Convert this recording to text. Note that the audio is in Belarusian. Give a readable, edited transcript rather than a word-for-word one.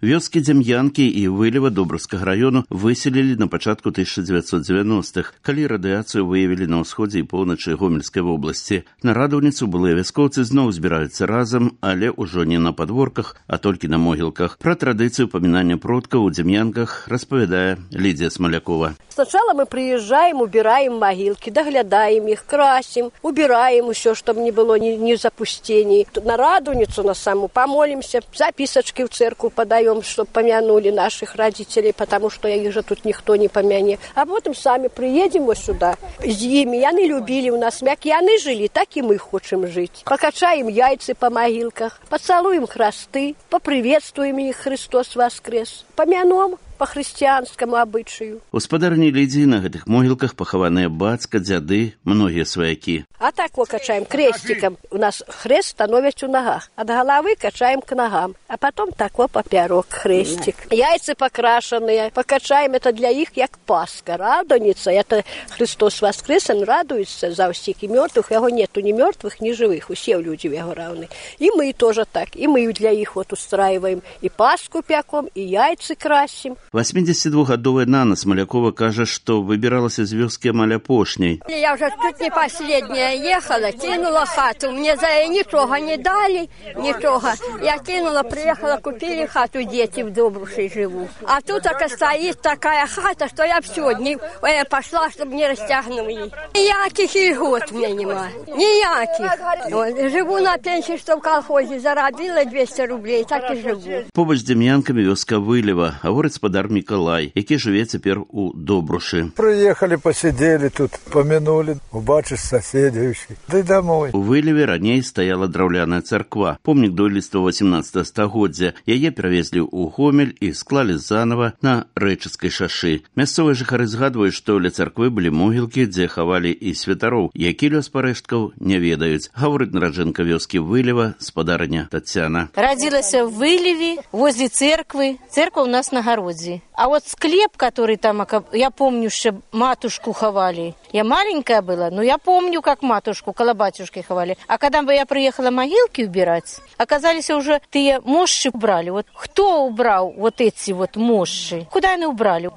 Вёскі Дзем'янкі і Вылева Добраўскага раёну выселілі на пачатку 1990-х, калі радыяцыю выявілі на ўсходзе і поўначы Гомельскай вобласці. На радаўніцу былыя вяскоўцы зноў збіраюцца разам, але ўжо не на падворках, а толькі на могілках. Пра традыцыю памінання продкаў у Дзем'янках распавядае Лідзія Смалякова. Сначала мы приезжаем, убираем могилки, доглядаем их, красим, убираем все, чтобы не было ни запустений. На радуницу на саму помолимся, записочки в церковь подаем, чтобы помянули наших родителей, потому что их же тут никто не помянет. А потом сами приедем вот сюда. С ними, яны любили у нас мяк, яны жили, так и мы хотим жить. Покачаем яйца по могилках, поцелуем хресты, поприветствуем их, Христос воскрес, помянем по хрысціянскаму абычаю. Гаспадарні Лідзіі на гэтых могілках пахаваныя бацька, дзяды, многія сваякі. А так вот качаем крестиком. У нас хрест становится у ногах. От головы качаем к ногам. А потом так вот поперек крестик. Яйца покрашенные. Покачаем это для их, как Пасха. Радуница. Это Христос воскрес, он радуется за всех и мертвых. Его нету ни мертвых, ни живых. Все люди его равны. И мы тоже так. И мы для их вот устраиваем. И Пасху пеком, и яйца красим. 82-гадовая Нана Смалякова кажа, што выбіралася з вёскі амаль апошняй. Я уже тут не последняя ехала, кинула хату. Мне за ничего не дали, ничего. Я кинула, приехала, купили хату, дети в Добруши живут. А тут так стоит такая хата, что я все дни пошла, чтобы не растягнули. Никаких льгот у меня нема. Никаких. Живу на пенсии, что в колхозе заробила 200 рублей, так и живу. Побач з Дзем'янкамі вёска Вылева, гаворыць спадар Мікалай, які жыве цяпер у Добрушы. Приехали, посидели тут, помянули, убачишь соседей, да и домой. У Вылеве раней стаяла драўляная царква, помнік дойлідства 18 стагоддзя. Яе перавезлі ў Гомель і склалі занава на Рэчыцкай шашы. Мясцовыя жыхары згадваюць, што ля царквы былі могілкі, дзе хавалі і святароў, які лёс парэшткаў не ведаюць. Гаворыць нараджэнка вёскі Вылева, спадарыня Тацяна. Родилась в Вылеве, возле церквы. Церковь у нас на огороде. А вот склеп, который там, я помню, что матушку ховали. Я маленькая была, но я помню, как матушку около батюшки ховали. А когда я приехала могилки убирать, оказались уже те мощи убрали. Вот кто убрал вот эти вот мощи? Куда они убрали?